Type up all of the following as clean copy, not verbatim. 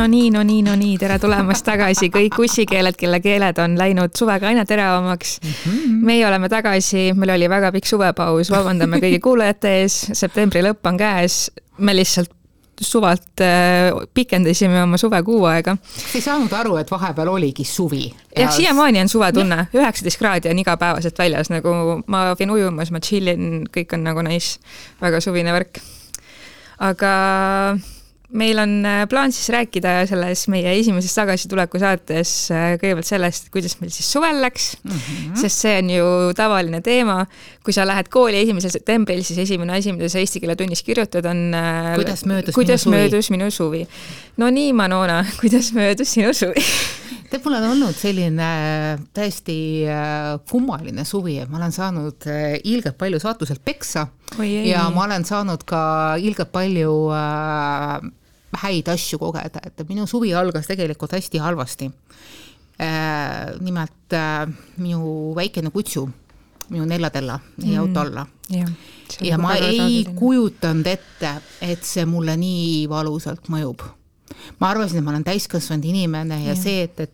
No nii, tere tulemast tagasi kõik ussikeeled, kelle keeled on läinud suvega aina teravamaks. Meie oleme tagasi, meil oli väga pikk suvepaus, vabandame kõigi kuulajate ees, septembri lõpp on käes, me lihtsalt suvalt pikendasime oma suvekuu aega. Sa ei saanud aru, et vahepeal oligi suvi. Jah, siiamaani on suvetunne, 19 kraadi on igapäevaselt väljas, nagu ma võin ujumas, ma chillin, kõik on nagu nice, väga suvine värk. Aga meil on plaan siis rääkida selles meie esimeses tagasituleku saates kõigepealt sellest, kuidas meil siis suvel läks, sest see on ju tavaline teema. Kui sa lähed kooli 1. septembril, siis esimene asi, mida sa eesti keele tunnis kirjutad, on kuidas möödus minu suvi. No nii, Manona, kuidas möödus sinu suvi? Mul on olnud selline täiesti kummaline suvi, et ma olen saanud ilgelt palju saatuselt peksa ja ma olen saanud ka ilgelt palju häid asju kogeda, et minu suvi algas tegelikult hästi halvasti. Nimelt minu väikene kutsu, minu neljatella jäi auto alla. Ja ma ei kujutanud ette, et see mulle nii valusalt mõjub. Ma arvasin, et ma olen täiskasvanud inimene ja see, et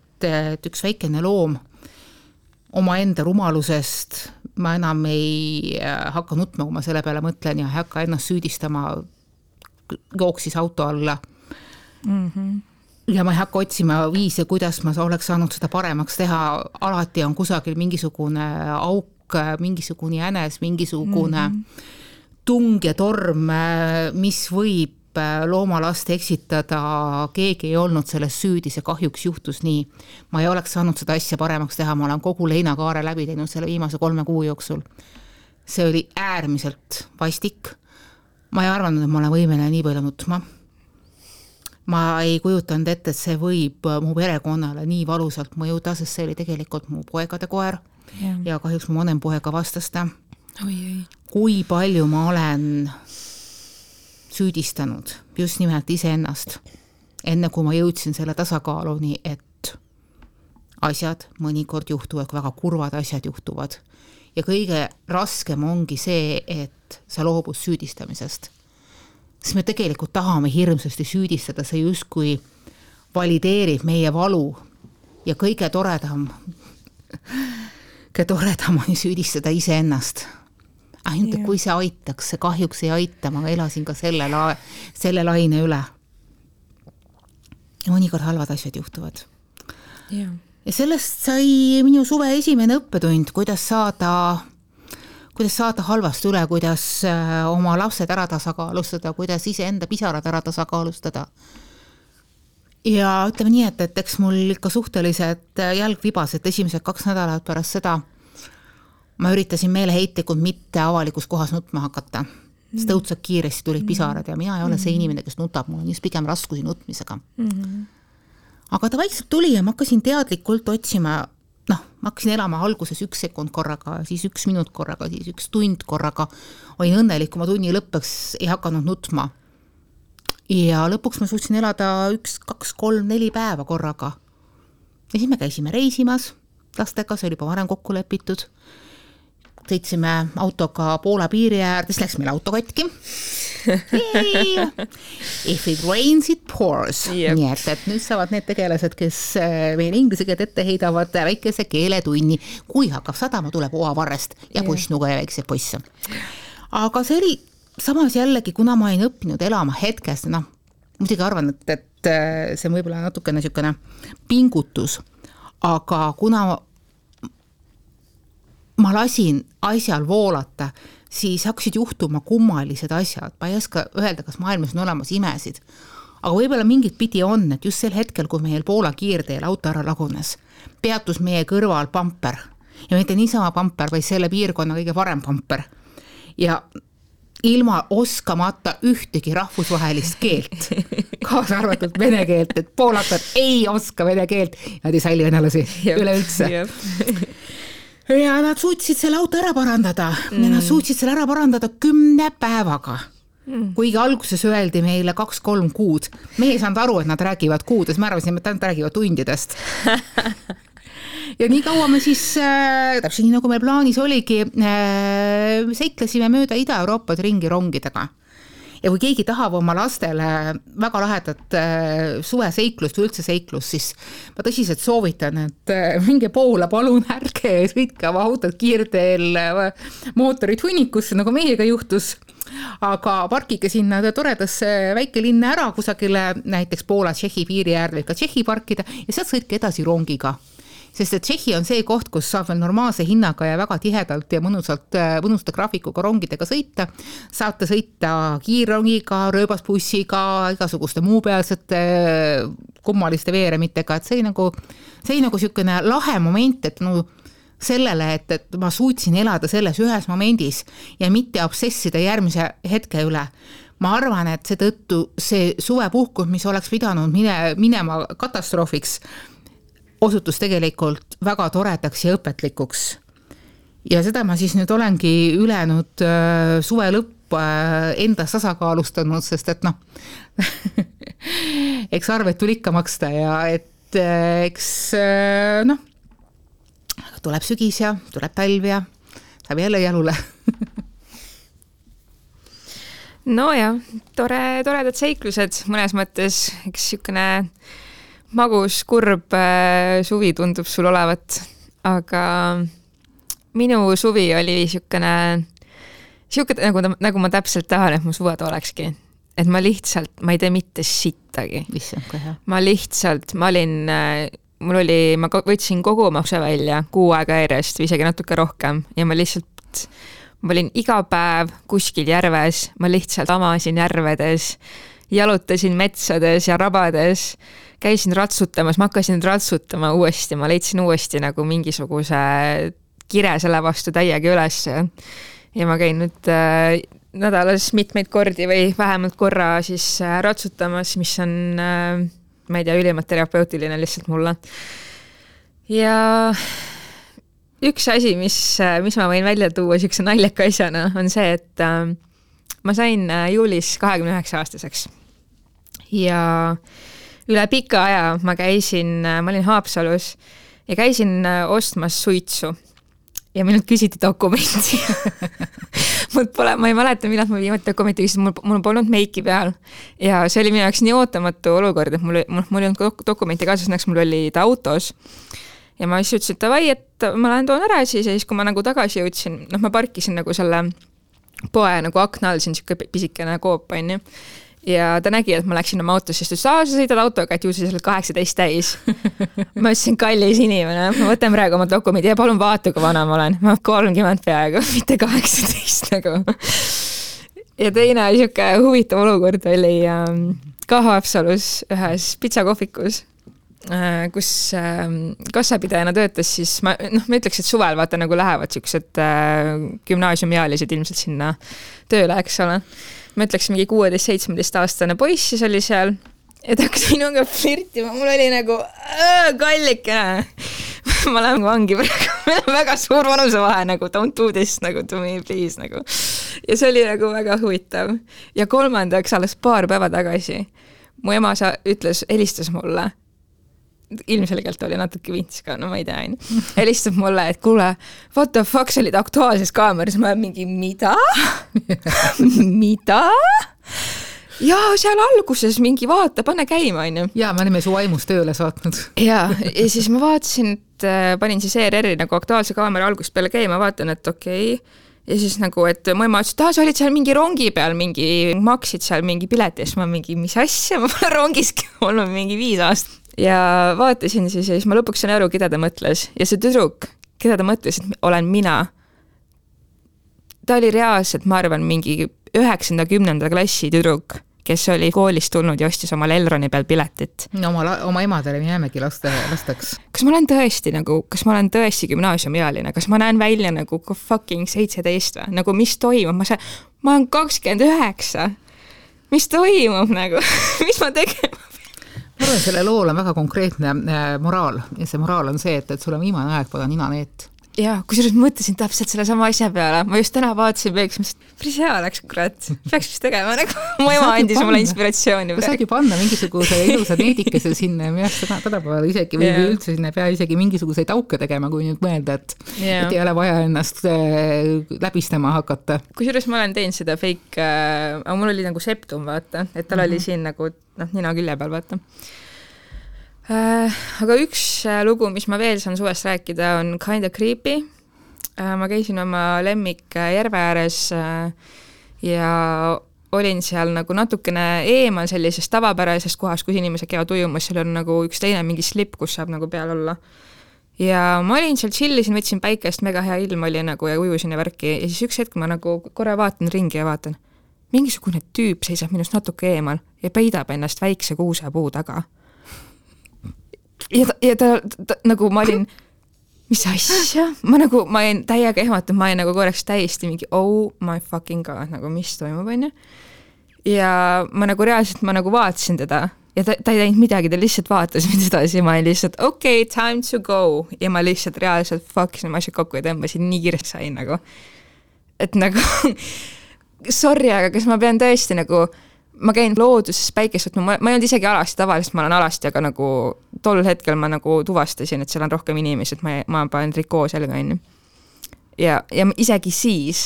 üks väikene loom oma enda rumalusest ma enam ei hakka nutma, kui ma selle peale mõtlen ja hakka ennast süüdistama, jooksis auto alla. Ja ma ei hakka otsima viise, kuidas ma oleks saanud seda paremaks teha. Alati on kusagil mingisugune auk, mingisugune jänes, mingisugune tung ja torm, mis võib loomalast eksitada, keegi ei olnud selles süüdi, see kahjuks juhtus nii. Ma ei oleks saanud seda asja paremaks teha, ma olen kogu leinakaare läbi teinud selle viimase 3 kuu jooksul. See oli äärmiselt vastik. Ma ei arvanud, et ma olen võimeline nii palju nutma. Ma ei kujutanud ette, et see võib mu perekonnale nii valusalt mõjuda, sest see oli tegelikult mu poegade koer ja kahjuks mu vanem poega vastas ta. Kui palju ma olen süüdistanud just nimelt iseennast, enne kui ma jõudsin selle tasakaaluni, et asjad mõnikord juhtuvad, väga kurvad asjad juhtuvad. Ja kõige raskem ongi see, et sa loobud süüdistamisest. Sest me tegelikult tahame hirmsasti süüdistada, see justkui valideerib meie valu ja kõige toredam on süüdistada iseennast. Ainult, kui see aitaks, see kahjuks ei aita, ma elasin ka selle laine üle. Ja mõnikord halvad asjad juhtuvad. Ja sellest sai minu suve esimene õppetund, kuidas saada halvast üle, kuidas oma lapsed ära tasakaalustada, kuidas iseenda pisarad ära tasakaalustada. Ja ütleme nii, et eks mul ikka suhteliselt jalg vibas, et esimesed 2 nädalat pärast seda ma üritasin meeleheitlikult mitte avalikus kohas nutma hakata. Sest õudselt kiiresti tulid pisarad ja mina ei ole see inimene, kes nutab, mul on just pigem raskusi nutmisega. Aga ta vaikselt tuli ja ma hakkasin teadlikult otsima, ma hakkasin elama alguses 1 sekund korraga, siis 1 minut korraga, siis 1 tund korraga. Olin õnnelik, kui ma tunni lõppeks ei hakanud nutma. Ja lõpuks ma suutsin elada 1, 2, 3, 4 päeva korraga. Ja siis me käisime reisimas lastega, see oli juba varem kokku lepitud. Sõitsime autoga Poola piiri äärde, siis läks meil auto katki. If it rains, it pours. Nii et nüüd saavad need tegelased, kes meil inglise keelt ette heidavad väikese keeletunni. Kui hakkab sadama, tuleb oavarrest ja pussnuga ja väikse poisse. Aga see oli samas jällegi, kuna ma olin õppinud elama hetkest, muidugi arvan, et see on võib-olla natukene niisugune pingutus, aga kuna ma lasin asjal voolata, siis hakkasid juhtuma kummalised asjad. Ma ei oska öelda, kas maailmas on olemas imesid. Aga võib-olla mingit pidi on, et just sel hetkel, kui meil Poola kiirteel auto ära lagunes, peatus meie kõrval pamper. Ja mitte niisama pamper, vaid selle piirkonna kõige parem pamper. Ja ilma oskamata ühtegi rahvusvahelist keelt, kaasa arvatud vene keelt, et poolakad ei oska vene keelt. Nad ei salli venelasi üleüldse. Ja nad suutsid selle auto ära parandada. Ja nad suutsid selle ära parandada 10 päevaga. Kuigi alguses öeldi meile 2-3 kuud. Me ei saanud aru, et nad räägivad kuudes. Me arvasime, et nad räägivad tundidest. Ja nii kaua me siis, täpselt nii nagu meil plaanis oligi, seiklesime mööda Ida-Euroopat ringi rongidega. ja kui keegi tahab oma lastele väga lahedat suveseiklust või üldse seiklust, siis ma tõsiselt soovitan, et minge Poola, palun ärge sõitke oma autod kiirteel mootorid hunnikusse, nagu meiega juhtus, aga parkige sinna toredasse väikelinna ära kusagile, näiteks Poola Tšehhi piiri äärde ka Tšehhi parkida ja sealt sõitke edasi rongiga. Sest et Tšehhi on see koht, kus saab veel normaalse hinnaga ja väga tihedalt ja mõnusta graafikuga rongidega sõita. Saate sõita kiirrongiga, rööbasbussiga, igasuguste muupealsete kummaliste veeremitega, et see nagu sükene lahe moment, et sellele, et ma suutsin elada selles ühes momendis ja mitte obsessida järgmise hetke üle. Ma arvan, et seetõttu see suvepuhkus, mis oleks pidanud minema katastroofiks, osutus tegelikult väga toredaks ja õpetlikuks. Ja seda ma siis nüüd olengi ülejäänud suve lõpp endas tasakaalustanud, sest et eks arved tuli ikka maksta ja et eks tuleb sügis ja tuleb talv ja saab jälle jalule. No ja, toredad seiklused mõnes mõttes, eks sükene magus, kurb suvi tundub sul olevat, aga minu suvi oli sükene nagu ma täpselt tahan, et mu suved olekski. Et ma ei tee mitte sittagi. Ma võtsin kogu makse välja 6 aega järjest või isegi natuke rohkem ja ma olin iga päev kuskil järves, ma lihtsalt amasin järvedes, jalutasin metsades ja rabades, käisin ratsutamas, ma hakkasin ratsutama uuesti, ma leidsin uuesti nagu mingisuguse kire selle vastu täiega üles ja ma käin nüüd nädalas mitmeid kordi või vähemalt korra siis ratsutamas, mis on, ma ei tea, ülimalt terapeutiline lihtsalt mulle. Ja üks asi, mis ma võin välja tuua siukse naljaka asjana, on see, et ma sain juulis 29 aastaseks ja üle pika aja ma olin Haapsalus ja käisin ostmas suitsu ja minult küsiti dokumenti. Ma ei mäleta, millal ma viimati dokumenti küsisin, mul polnud meiki peal ja see oli minu jaoks nii ootamatu olukord, et mul ei olnud dokumenti kaasas, näeks mul oli ta autos ja ma siis ütlesin, et davai, et ma lähen toon ära siis ja siis, kui ma nagu tagasi jõudsin, ma parkisin nagu selle poe nagu akna all, siin siuke pisikene koop, on ju. Ja ta nägi, et ma läksin oma autos, sest sa sõidad autoga, et ju sa oled 18 täis. Ma ütlesin, kallis inimene, ma võtan praegu oma dokumendi ja palun vaata, kui vana ma olen. Ma 30 peaaegu, mitte 18 nagu. Ja teine siuke huvitav olukord oli ka Haapsalus ühes pitsakohvikus, kus kassapidajana töötas, siis ma ütleks, et suvel vaata nagu lähevad siuksed gümnaasiumiealised ilmselt sinna tööle, eks ole. Ma ütleks mingi 16-17 aastane poiss, siis oli seal ja ta hakkas minuga flirtima, mul oli nagu kallikene. Ma lähen vangi praegu, meil on väga suur vanusevahe nagu don't do this nagu to me please nagu. Ja see oli nagu väga huvitav. Ja kolmandaks alles paar päeva tagasi mu ema helistas mulle, ilmselgelt oli natuke vints ka, no ma ei tea, helistab mulle, et kuule, what the fuck, sa olid Aktuaalses Kaameras, ma mingi, mida? Mida? Ja seal alguses mingi vaata, pane käima, on ju. Ja, me olime su vaimus tööle saatnud. Ja siis ma vaatasin, et panin siis ERR-i nagu Aktuaalse Kaamera algusest peale käima, vaatan, et okei. Ja siis nagu, et mu ema ütles, et sa olid seal mingi rongi peal, maksid seal mingi piletist, ma mingi, mis asja, ma pole rongiski olnud mingi 5 aastat. Ja vaatasin siis ja siis ma lõpuks sain aru, keda ta mõtles. Ja see tüdruk, keda ta mõtles, et olen mina, ta oli reaalselt, ma arvan, mingi 9-10 klassi tüdruk, kes oli koolist tulnud ja ostis oma Elroni peal piletit. No, oma emadele me jäämegi lasteks. Kas ma olen tõesti gümnaasiumiealine? Kas ma näen välja nagu fucking 17 või? Nagu mis toimub? Ma olen 29. Mis toimub nagu? Mis ma tegema? Ma arvan, selle lool on väga konkreetne moraal ja see moraal on see, et sul on viimane aeg poda nina neet. ja kusjuures mõtlesin täpselt selle sama asja peale, ma just täna vaatasin peaks, päris hea läks, kurat, peaks vist tegema, nagu mu ema andis mulle inspiratsiooni. Saagi panna mingisuguse ilusa needikese sinna ja minu tänapäeval isegi või üldse sinna pea isegi mingisuguseid auke tegema, kui nüüd mõelda, et ei ole vaja ennast läbistama hakata. Kusjuures ma olen teinud seda fake, aga mul oli nagu septum, vaata, et tal oli siin nagu nina külje peal, vaata. Aga üks lugu, mis ma veel saan suvest rääkida, on Kinda Creepy. Ma käisin oma lemmik järve ääres ja olin seal nagu natukene eemal sellisest tavapärasest kohast, kus inimesed käivad ujumas, seal on nagu üks teine mingi slip, kus saab nagu peal olla. Ja ma olin seal chillisin, võtsin päikest, mega hea ilm oli nagu ja ujusin ja värki ja siis üks hetk ma nagu korra vaatan ringi ja vaatan, mingisugune tüüp seisab minust natuke eemal ja peidab ennast väikse kuusepuu taga. Ja ta nagu ma olin, mis asja? Ma jäin täiega ehmata, ma jäin nagu korraks täiesti mingi oh my fucking god, nagu mis toimub, on ju. Ja ma nagu reaalselt, ma nagu vaatasin teda ja ta ei teinud midagi, ta lihtsalt vaatas mind edasi, ma olin lihtsalt okay, time to go ja ma lihtsalt reaalselt fuckisin ma asjad kokku ja tõmbasin nii kiiresti sain nagu. Et nagu sorry, aga kas ma pean tõesti nagu ma käin looduses päikest võtma, ma ei olnud isegi alasti, tavaliselt ma olen alasti, aga nagu tol hetkel ma nagu tuvastasin, et seal on rohkem inimesi, et ma panen trikoo selga enne. Ja isegi siis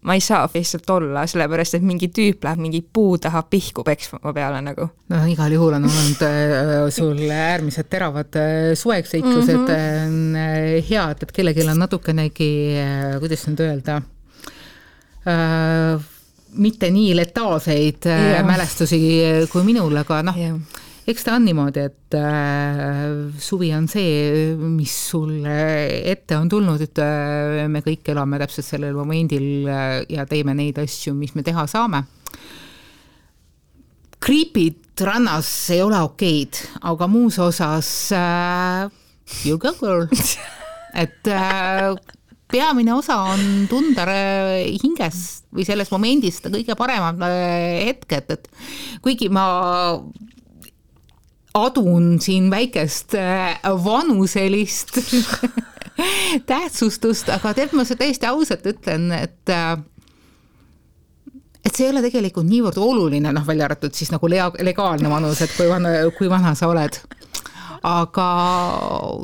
ma ei saa lihtsalt olla, sellepärast, et mingi tüüp läheb mingi puu taha pihku peksma peale nagu. No igal juhul on olnud sul äärmiselt teravad suveksseiklused hea, et kellelgi on natukenegi, kuidas nüüd öelda, mitte nii letaalseid mälestusi kui minul, aga eks ta on niimoodi, et suvi on see, mis sulle ette on tulnud, et me kõik elame täpselt sellel momendil ja teeme neid asju, mis me teha saame. Creepid rannas ei ole okeid, aga muus osas you go girl. Et peamine osa on tunda hinges või selles momendis kõige paremad hetked, et kuigi ma adun siin väikest vanuselist tähtsustust, aga teeb ma see täiesti ausalt ütlen, et see ei ole tegelikult niivõrd oluline, välja arvatud siis nagu legaalne vanus, et kui vana sa oled. Aga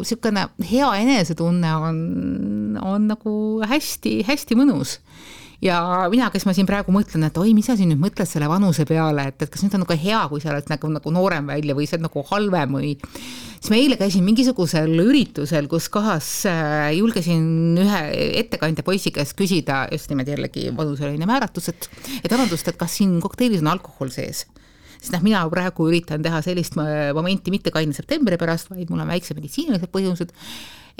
siukene hea enesetunne on nagu hästi mõnus. Ja mina, kes ma siin praegu mõtlen, et oi, mis sa siin nüüd mõtled selle vanuse peale, et kas nüüd on nagu hea, kui sa oled nagu noorem välja või see on nagu halvem või siis ma eile käisin mingisugusel üritusel, kus kohas julgesin ühe ettekandja poisi käest küsida just niimoodi jällegi vanuseline määratus, et arvandust, et kas siin kokteilis on alkohol sees. Siis mina praegu üritan teha sellist momenti mitte kaine septembri pärast, vaid mul on väikse meditsiinilised põhjused,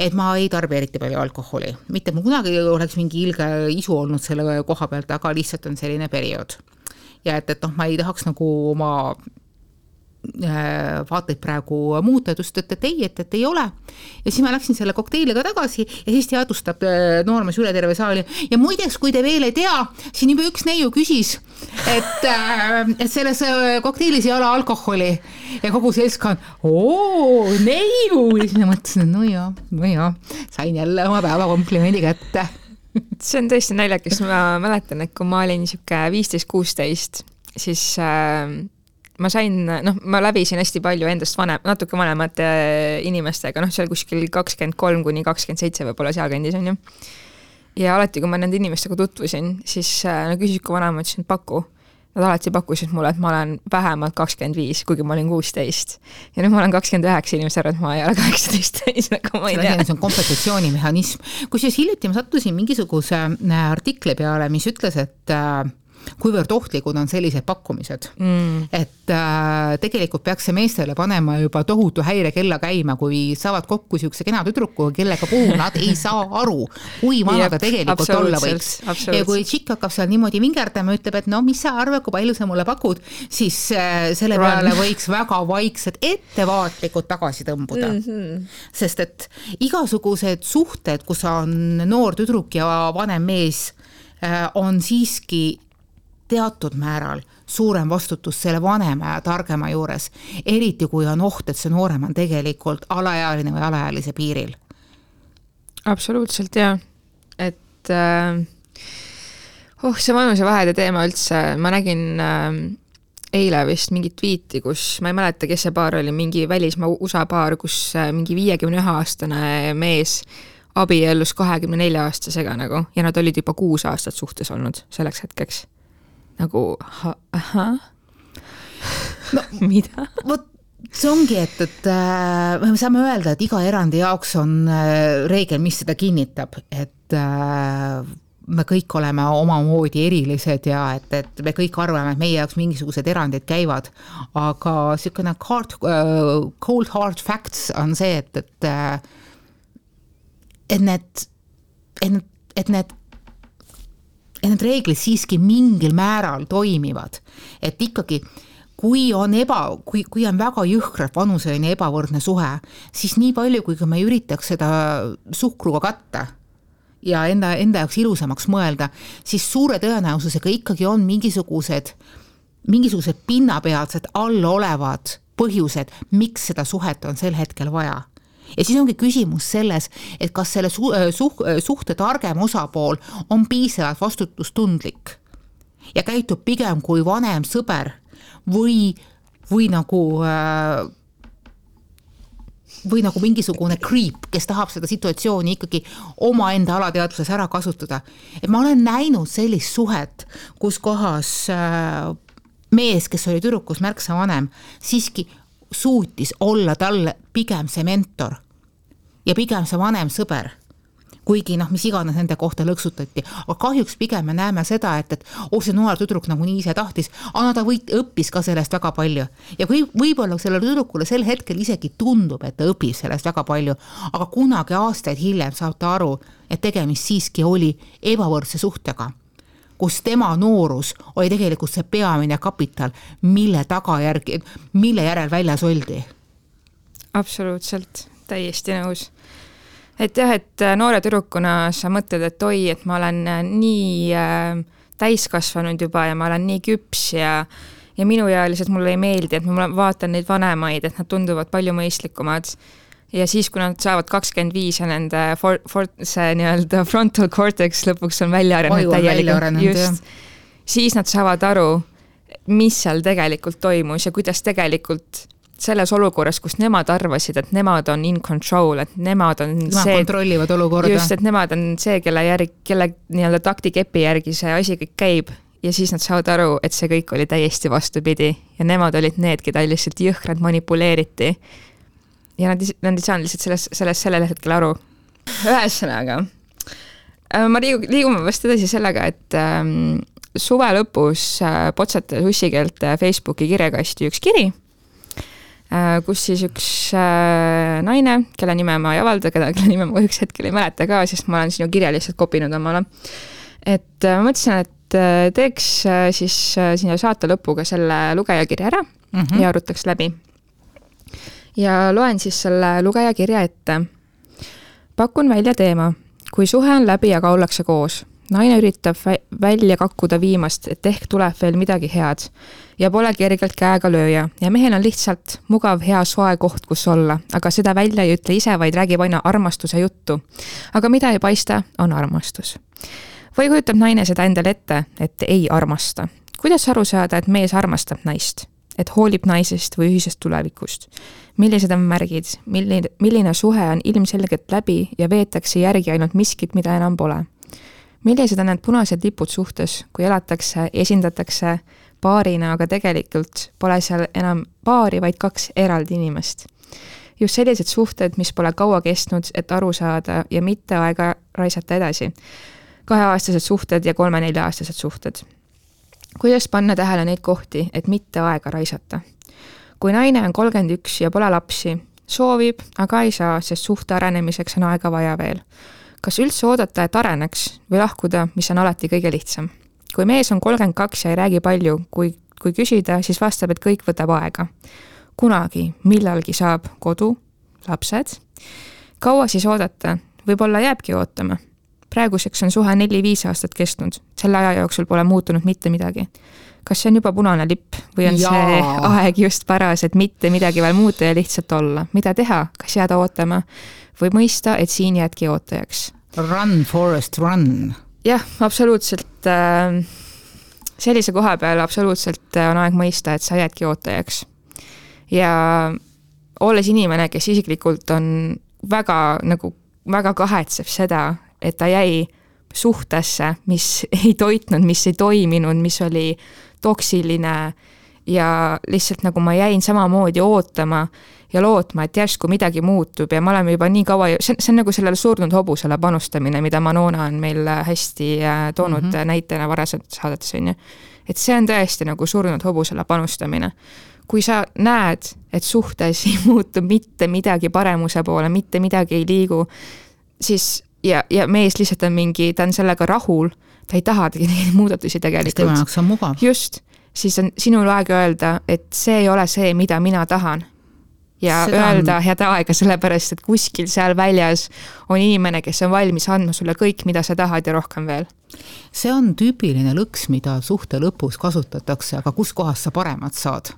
et ma ei tarbi eriti palju alkoholi. Mitte mul kunagi oleks mingi ilge isu olnud selle koha pealt, aga lihtsalt on selline periood. Ja et ma ei tahaks nagu oma vaateid praegu muuta, et ei ole. Ja siis ma läksin selle kokteiliga tagasi ja siis teadustab noormees üle terve saali. Ja muideks, kui te veel ei tea, siin juba üks neiu küsis, et selles kokteilis ei ole alkoholi ja kogu seltskond, neiu! Ja siis ma mõtlesin, no jaa, sain jälle oma päeva komplimendi kätte. See on tõesti naljakas, ma mäletan, et kui ma olin 15-16, siis ma sain, ma läbisin hästi palju endast natuke vanemate inimestega, seal kuskil 23-27 võib-olla seal kandis on ju. Ja alati, kui ma nende inimestega tutvusin, siis küsid, kui vanem, ma ütlesin, paku. Nad alati pakkusid mulle, et ma olen vähemalt 25, kuigi ma olin 16. Ja nüüd ma olen 29, inimesed arvad, et ma ei ole 18, nagu ma ei tea. See on kompensatsioonimehhanism. Kusjuures hiljuti ma sattusin mingisuguse artikli peale, mis ütles, et kuivõrd ohtlikud on sellised pakkumised. Et tegelikult peaks see meestele panema juba tohutu häirekella käima, kui saavad kokku siukse kena tüdruku, kellega puhul nad ei saa aru, kui vana ta tegelikult olla võiks. Ja kui tšikk hakkab seal niimoodi vingerdama, ütleb, et mis sa arvad, kui palju sa mulle pakud, siis selle peale võiks väga vaiksed ettevaatlikud tagasi tõmbuda. Sest et igasugused suhted, kus on noor tüdruk ja vanem mees, on siiski teatud määral suurem vastutus selle vanema ja targema juures, eriti kui on oht, et see noorem on tegelikult alaealine või alaealise piiril. Absoluutselt, jaa. Et see vanusevahede teema üldse, ma nägin eile vist mingi tweeti, kus ma ei mäleta, kes see paar oli, mingi välismaa USA paar, kus mingi 51-aastane mees abiellus 24-aastasega nagu, ja nad olid juba 6 aastat suhtes olnud selleks hetkeks. Nagu, no, mida? Vot see ongi, et me saame öelda, et iga erandi jaoks on reegel, mis seda kinnitab, et me kõik oleme omamoodi erilised ja et me kõik arvame, et meie jaoks mingisugused erandid käivad, aga niisugune cold hard facts on see, et need reeglid siiski mingil määral toimivad, et ikkagi kui on väga jõhkralt vanuseline ebavõrdne suhe, siis nii palju, kui me üritaks seda suhkruga katta ja enda jaoks ilusamaks mõelda, siis suure tõenäosusega ikkagi on mingisugused pinnapealsed allolevad põhjused, miks seda suhet on sel hetkel vaja. Ja siis ongi küsimus selles, et kas selle suhte targem osapool on piisavalt vastutustundlik ja käitub pigem kui vanem sõber või nagu mingisugune creep, kes tahab seda situatsiooni ikkagi omaenda alateadvuses ära kasutada. Et ma olen näinud sellist suhet, kus kohas mees, kes oli tüdrukus märksa vanem, siiski suutis olla talle pigem see mentor ja pigem see vanem sõber. Kuigi mis iganes nende kohta lõksutati, aga kahjuks pigem me näeme seda, et see noor tüdruk nagu nii ise tahtis, aga ta õppis ka sellest väga palju. Ja võib-olla sellele tüdrukule sel hetkel isegi tundub, et ta õpib sellest väga palju, aga kunagi aastaid hiljem saab ta aru, et tegemist siiski oli ebavõrdse suhtega, kus tema noorus oli tegelikult see peamine kapital, mille järel väljas oldi. Absoluutselt, täiesti nõus. Et jah, et noore tüdrukuna sa mõtled, et oi, et ma olen nii täiskasvanud juba ja ma olen nii küps ja minuealised mulle ei meeldi, et ma vaatan neid vanemaid, et nad tunduvad palju mõistlikumad. Ja siis, kui nad saavad 25 ja nende see nii-öelda frontal cortex lõpuks on välja arenenud, siis nad saavad aru, mis seal tegelikult toimus ja kuidas tegelikult selles olukorras, kus nemad arvasid, et nemad on in control, et nemad on kontrollivad olukorda. Just, et nemad on see, kelle nii-öelda taktikepi järgi see asi kõik käib ja siis nad saavad aru, et see kõik oli täiesti vastupidi ja nemad olid need, keda lihtsalt jõhkrad manipuleeriti ja nad ei saanud lihtsalt sellel hetkel aru. Ühesõnaga, ma liigume vast edasi sellega, et suve lõpus potsatas ussikeelt Facebooki kirjakasti üks kiri, kus siis üks naine, kelle nime ma ei avalda, kelle nime ma üks hetkel ei mäleta ka, sest ma olen sinu kirja lihtsalt kopinud omale. Et ma mõtlesin, et teeks siis sinna saate lõpuga selle lugejakirja ära ja arutaks läbi. Ja loen siis selle lugejakirja ette. Pakun välja teema. Kui suhe on läbi, aga ollakse koos. Naine üritab välja kakkuda viimast, et ehk tuleb veel midagi head ja pole kergelt käega lööja ja mehel on lihtsalt mugav hea soe koht, kus olla, aga seda välja ei ütle ise, vaid räägib aina armastuse juttu. Aga mida ei paista, on armastus. Või kujutab naine seda endale ette, et ei armasta. Kuidas aru saada, et mees armastab naist, et hoolib naisest või ühisest tulevikust? Millised on märgid, milline suhe on ilmselgelt läbi ja veetakse järgi ainult miskit, mida enam pole? Millised on need punased lipud suhtes, kui elatakse, esindatakse paarina, aga tegelikult pole seal enam paari, vaid 2 eraldi inimest. Just sellised suhted, mis pole kaua kestnud, et aru saada ja mitte aega raisata edasi. 2-aastased suhted ja 3-4-aastased suhted. Kuidas panna tähele neid kohti, et mitte aega raisata? Kui naine on 31 ja pole lapsi, soovib, aga ei saa, sest suhte arenemiseks on aega vaja veel. Kas üldse oodata, et areneks või lahkuda, mis on alati kõige lihtsam? Kui mees on 32 ja ei räägi palju, kui küsida, siis vastab, et kõik võtab aega. Kunagi, millalgi saab kodu, lapsed. Kaua siis oodata? Võib-olla jääbki ootama. praeguseks on suhe 4-5 aastat kestnud, selle aja jooksul pole muutunud mitte midagi. Kas see on juba punane lipp või on see aeg just paras, et mitte midagi veel muuta ja lihtsalt olla? Mida teha? Kas jääda ootama või mõista, et siin jäädki ootajaks? Run, Forest, run. Jah, absoluutselt. Sellise koha peal absoluutselt on aeg mõista, et sa jäädki ootajaks. Ja olles inimene, kes isiklikult on väga kahetseb seda, et ta jäi suhtesse, mis ei toitnud, mis ei toiminud, mis oli toksiline ja lihtsalt nagu ma jäin samamoodi ootama ja lootma, et järsku midagi muutub ja me oleme juba nii kaua, see on nagu sellele surnud hobusele panustamine, mida Manona on meil hästi toonud näitena varasemalt saadetes, on ju. Et see on tõesti nagu surnud hobusele panustamine. Kui sa näed, et suhtes ei muutu mitte midagi paremuse poole, mitte midagi ei liigu, siis ja mees lihtsalt on mingi, ta on sellega rahul, ta ei taha neid muudatusi tegelikult. Tema jaoks on mugav. Just, siis on sinul aeg öelda, et see ei ole see, mida mina tahan. Ja seda öelda head aega sellepärast, et kuskil seal väljas on inimene, kes on valmis andma sulle kõik, mida sa tahad ja rohkem veel. See on tüüpiline lõks, mida suhte lõpus kasutatakse, aga kus kohas sa paremat saad.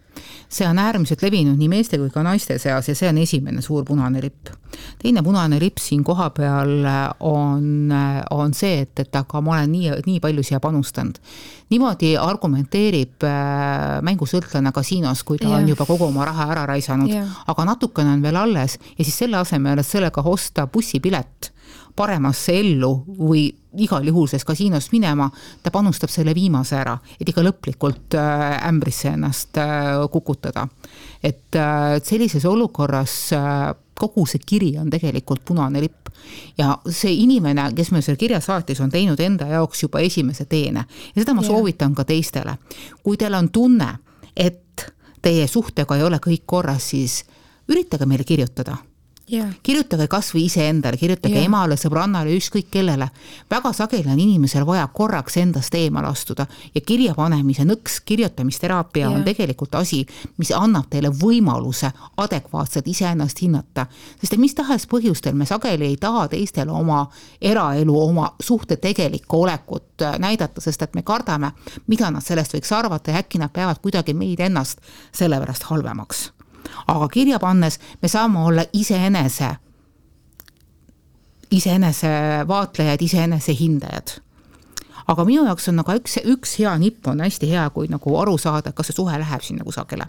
See on äärmiselt levinud nii meeste kui ka naiste seas ja see on esimene suur punane lipp. Teine punane lipp siin koha peal on see, et aga ma olen nii palju siia panustanud. Niimoodi argumenteerib mängusõltlane kasiinos, kui ta on juba kogu oma raha ära raisanud, aga natukene on veel alles ja siis selle asemel, et sellega osta bussipilet paremasse ellu või igal juhul selles kasiinost minema, ta panustab selle viimase ära, et ikka lõplikult ämbrisse ennast kukutada. Et sellises olukorras kogu see kiri on tegelikult punane lipp ja see inimene, kes meil selle kirja saatis, on teinud enda jaoks juba esimese teene ja seda ma soovitan ka teistele. Kui teil on tunne, et teie suhtega ei ole kõik korras, siis üritage meile kirjutada. Kirjutage kas või ise endale, kirjutage emale, sõbrannale, ükskõik kellele. Väga sageli on inimesel vaja korraks endast eemal astuda ja kirjapanemise nõks, kirjutamisteraapia on tegelikult asi, mis annab teile võimaluse adekvaatselt iseennast hinnata. Sest mis tahes põhjustel me sageli ei taha teistele oma eraelu, oma suhte tegelikku olekut näidata, sest et me kardame, mida nad sellest võiks arvata ja äkki nad peavad kuidagi meid ennast selle pärast halvemaks. Aga kirja pannes me saame olla iseenese vaatlejad, iseenese hindajad. Aga minu jaoks on nagu üks hea nipp on hästi hea, kui nagu aru saada, kas see suhe läheb siin nagu sagele.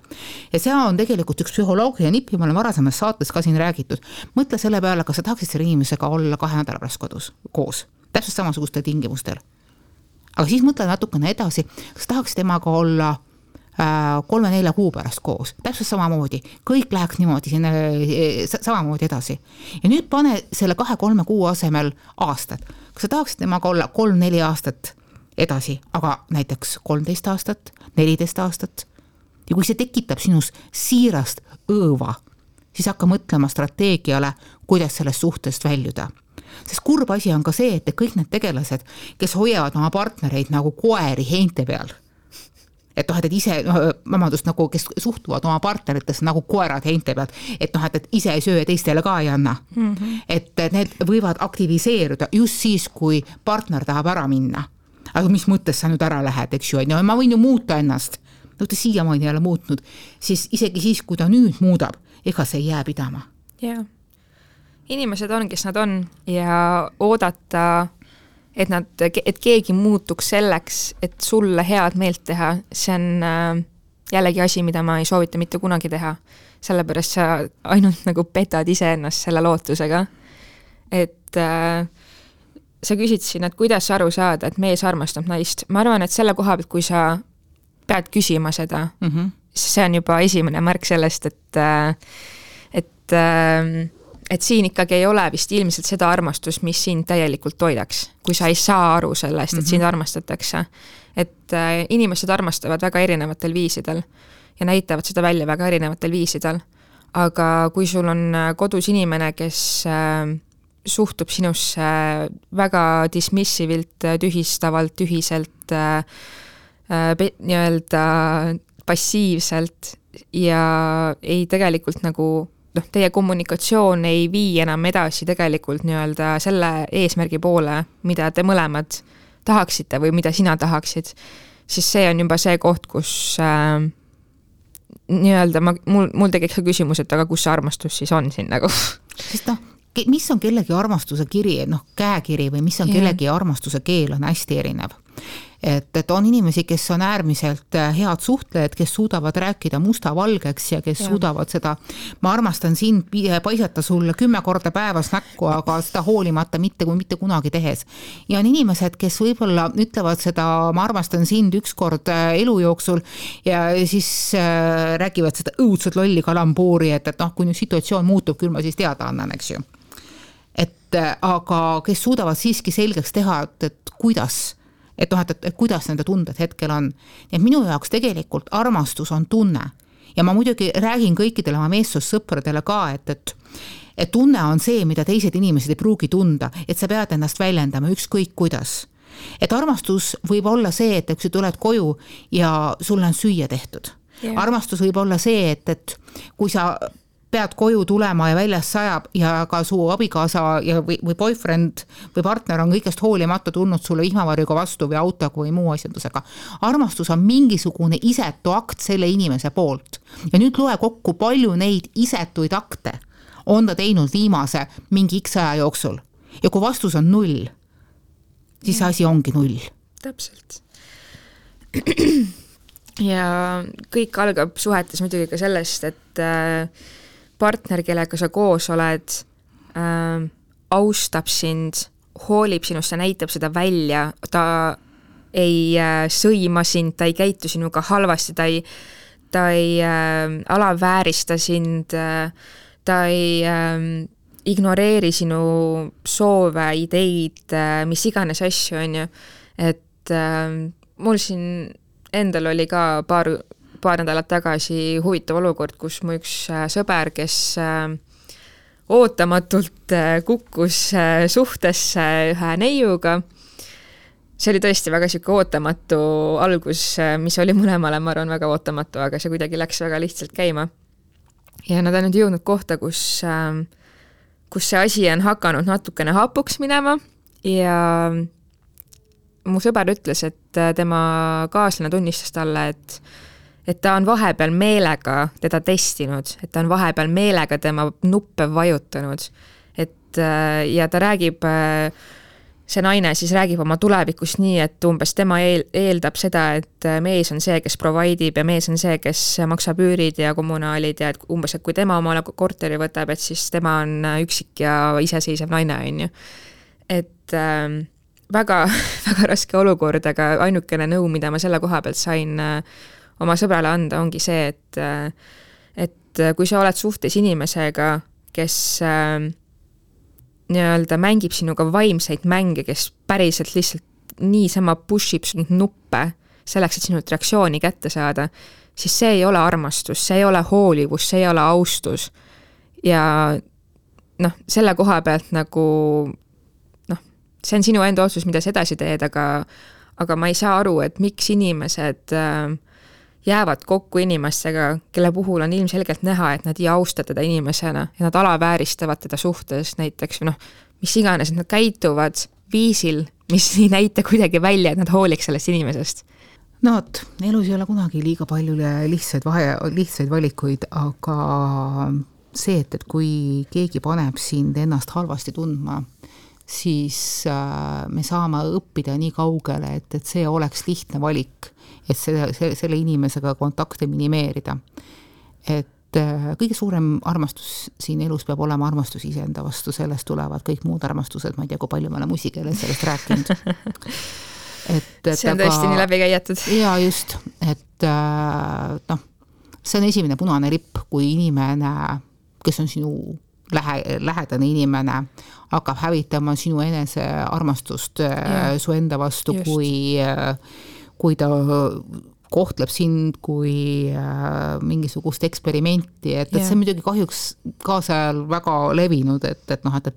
Ja see on tegelikult üks psühholoogia nipp ja ma olen varasemas saates ka siin räägitud. Mõtle selle peale, kas sa tahaksid selle inimesega olla 2 nädala pärast kodus koos, täpselt samasugustel tingimustel. Aga siis mõtle natukene edasi, kas tahaksid temaga olla 3-4 kuu pärast koos, täpselt samamoodi, kõik läheks niimoodi samamoodi edasi. Ja nüüd pane selle 2-3 kuu asemel aastad. Kas sa tahaksid temaga olla 3-4 aastat edasi, aga näiteks 13 aastat, 14 aastat? Ja kui see tekitab sinus siirast õõva, siis hakka mõtlema strateegiale, kuidas sellest suhtest väljuda. Sest kurb asi on ka see, et kõik need tegelased, kes hoiavad oma partnereid nagu koeri heinte peal, et ise, nagu, kes suhtuvad oma partneritesse nagu koerad heinte pealt, et ise ei söö ja teistele ka ei anna. Et need võivad aktiviseeruda just siis, kui partner tahab ära minna. Aga mis mõttes sa nüüd ära lähed, eks ju, ma võin ju muuta ennast. No ta siiamaani ei ole muutnud, siis isegi siis, kui ta nüüd muudab, ega see ei jää pidama. Jaa. Inimesed on, kes nad on ja oodata et keegi muutuks selleks, et sulle head meelt teha, see on jällegi asi, mida ma ei soovita mitte kunagi teha. Sellepärast sa ainult nagu petad iseennast selle lootusega. Et sa küsid siin, et kuidas aru saada, et mees armastab naist. Ma arvan, et selle koha pealt, kui sa pead küsima seda, see on juba esimene märk sellest, et siin ikkagi ei ole vist ilmselt seda armastust, mis sind täielikult toidaks, kui sa ei saa aru sellest, et sind armastatakse. Et inimesed armastavad väga erinevatel viisidel ja näitavad seda välja väga erinevatel viisidel. Aga kui sul on kodus inimene, kes suhtub sinusse väga dismissivilt, tühistavalt, tühiselt, nii-öelda passiivselt ja ei tegelikult nagu teie kommunikatsioon ei vii enam edasi tegelikult nii-öelda selle eesmärgi poole, mida te mõlemad tahaksite või mida sina tahaksid, siis see on juba see koht, kus nii-öelda mul tekiks ka küsimus, et aga kus see armastus siis on siin nagu? Sest mis on kellegi armastuse kiri, käekiri või mis on kellegi armastuse keel on hästi erinev. Et on inimesi, kes on äärmiselt head suhtlejad, kes suudavad rääkida musta-valgeks ja kes suudavad seda, ma armastan sind, paisata sulle 10 korda päevas näkku, aga seda hoolimata mitte kunagi tehes. Ja on inimesed, kes võib-olla ütlevad seda, ma armastan sind 1 kord elu jooksul ja siis räägivad seda õudselt lolli kalambuuri, et kui nüüd situatsioon muutub, küll ma siis teada annan, eks ju. Aga kes suudavad siiski selgeks teha, et kuidas nende tunded hetkel on. Et minu jaoks tegelikult armastus on tunne. Ja ma muidugi räägin kõikidele oma meessussõpradele ka, et tunne on see, mida teised inimesed ei pruugi tunda, et sa pead ennast väljendama ükskõik kuidas. Et armastus võib olla see, et kui tuled koju ja sulle on süüa tehtud. Yeah. Armastus võib olla see, et kui sa pead koju tulema ja väljas sajab ja ka su abikaasa või boyfriend või partner on kõigest hoolimata tulnud sulle vihmavarjuga vastu või autoga või muu asjandusega. Armastus on mingisugune isetu akt selle inimese poolt. Ja nüüd loe kokku, palju neid isetuid akte on ta teinud viimase mingi X aja jooksul. Ja kui vastus on 0, siis asi ongi 0. Täpselt. Ja kõik algab suhetes muidugi ka sellest, et partner, kellega sa koos oled, austab sind, hoolib sinust ja näitab seda välja, ta ei sõima sind, ta ei käitu sinuga halvasti, ta ei alaväärista sind, ta ei ignoreeri sinu soove, ideid, mis iganes asju on ju, et mul siin endal oli ka paar nädalat tagasi huvitav olukord, kus mu üks sõber, kes ootamatult kukkus suhtesse ühe neiuga. See oli tõesti väga siuke ootamatu algus, mis oli mõlemale, ma arvan, väga ootamatu, aga see kuidagi läks väga lihtsalt käima. Ja nad on nüüd jõudnud kohta, kus see asi on hakanud natukene hapuks minema ja mu sõber ütles, et tema kaaslane tunnistas talle, et ta on vahepeal meelega teda testinud, et ta on vahepeal meelega tema nuppe vajutanud. Ja ta räägib, see naine siis räägib oma tulevikust nii, et umbes tema eeldab seda, et mees on see, kes providib ja mees on see, kes maksab üürid ja kommunaalid ja et umbes, et kui tema omale korteri võtab, et siis tema on üksik ja iseseisev naine on ju. Et väga, väga raske olukord, aga ainukene nõu, mida ma selle koha pealt sain oma sõbrale anda, ongi see, et kui sa oled suhtes inimesega, kes nii-öelda mängib sinuga vaimseid mänge, kes päriselt lihtsalt niisama pushib sind nuppe selleks, et sinult reaktsiooni kätte saada, siis see ei ole armastus, see ei ole hoolivus, see ei ole austus. Ja selle koha pealt nagu see on sinu enda otsus, mida sa edasi teed, aga ma ei saa aru, et miks inimesed jäävad kokku inimestega, kelle puhul on ilmselgelt näha, et nad ei austa teda inimesena ja nad alavääristavad teda suhtes näiteks, mis iganes, et nad käituvad viisil, mis ei näita kuidagi välja, et nad hooliks sellest inimesest. Elus ei ole kunagi liiga palju lihtsaid valikuid, aga see, et kui keegi paneb sind ennast halvasti tundma, siis me saame õppida nii kaugele, et see oleks lihtne valik, et selle inimesega kontakte minimeerida. Et kõige suurem armastus siin elus peab olema armastus iseenda vastu, sellest tulevad kõik muud armastused, ma ei tea, kui palju me oleme muusikeeles sellest rääkinud. See on tõesti nii läbi käijatud. Ja just, et see on esimene punane lipp, kui inimene, kes on sinu lähedane inimene, hakkab hävitama sinu enese armastust su enda vastu, kui ta kohtleb sind kui mingisugust eksperimenti, et see on muidugi kahjuks kaasajal väga levinud, et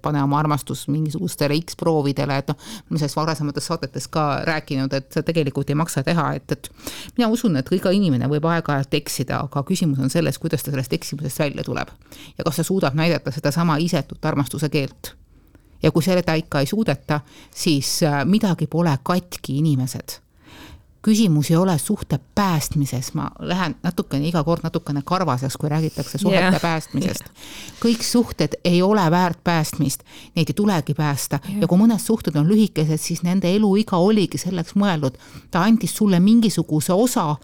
pane oma armastus mingisugustele X-proovidele, et ma sellest varasemates saadetes ka rääkinud, et see tegelikult ei maksa teha, et mina usun, et iga inimene võib aeg-ajalt eksida, aga küsimus on selles, kuidas ta sellest eksimusest välja tuleb ja kas ta suudab näidata seda sama isetut armastuse keelt. Ja kui seda ikka ei suudeta, siis midagi pole katki inimesed. Küsimus ei ole suhte päästmises, ma lähen iga kord natukene karvaseks, kui räägitakse suhete päästmisest. Kõik suhted ei ole väärt päästmist, neid ei tulegi päästa ja kui mõned suhted on lühikesed, siis nende eluiga oligi selleks mõeldud. Ta andis sulle mingisuguse osa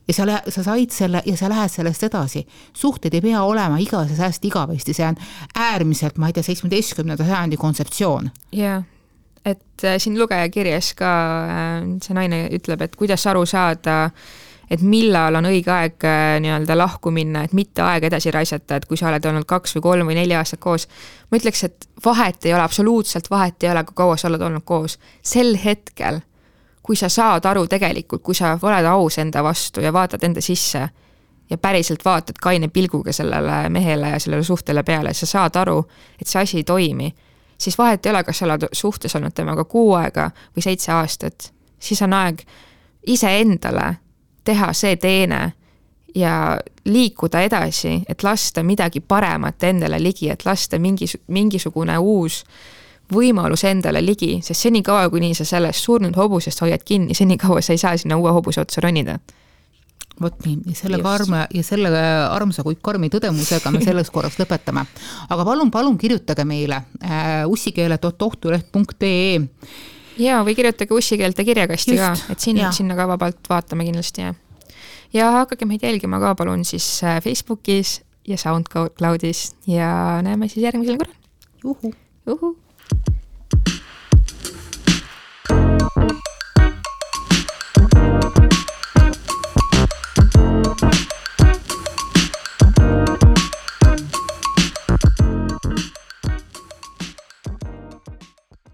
ja sa said selle ja sa lähed sellest edasi. Suhted ei pea olema igavesti, see on äärmiselt, 17. sajandi kontseptsioon. Jah. Et siin lugeja kirjas ka see naine ütleb, et kuidas aru saada, et millal on õige aeg nii-öelda lahku minna, et mitte aeg edasi raisata, et kui sa oled olnud 2 või 3 või 4 aastat koos. Ma ütleks, et vahet ei ole, absoluutselt vahet ei ole, kui kaua sa oled olnud koos. Sel hetkel, kui sa saad aru tegelikult, kui sa oled aus enda vastu ja vaatad enda sisse ja päriselt vaatad kaine pilguga sellele mehele ja sellele suhtele peale, sa saad aru, et see asi ei toimi, siis vahet ei ole, kas sa oled suhtes olnud temaga 6 aega või 7 aastat, siis on aeg ise endale teha see teene ja liikuda edasi, et lasta midagi paremat endale ligi, et lasta mingisugune uus võimalus endale ligi, sest senikaua, kuni sa sellest surnud hobusest hoiad kinni, senikaua sa ei saa sinna uue hobuse otsa ronida. Vot nii, ja selle armsa kui karmi tõdemusega me selles korras lõpetame. Aga palun kirjutage meile ussikeele.ohtuleht.ee ja või kirjutage ussikeelte kirjakasti ka, et sinna ka vabalt vaatame kindlasti. Ja hakake meid jälgima ka palun siis Facebookis ja SoundCloudis ja näeme siis järgmisel korral. Juhu! Thank you.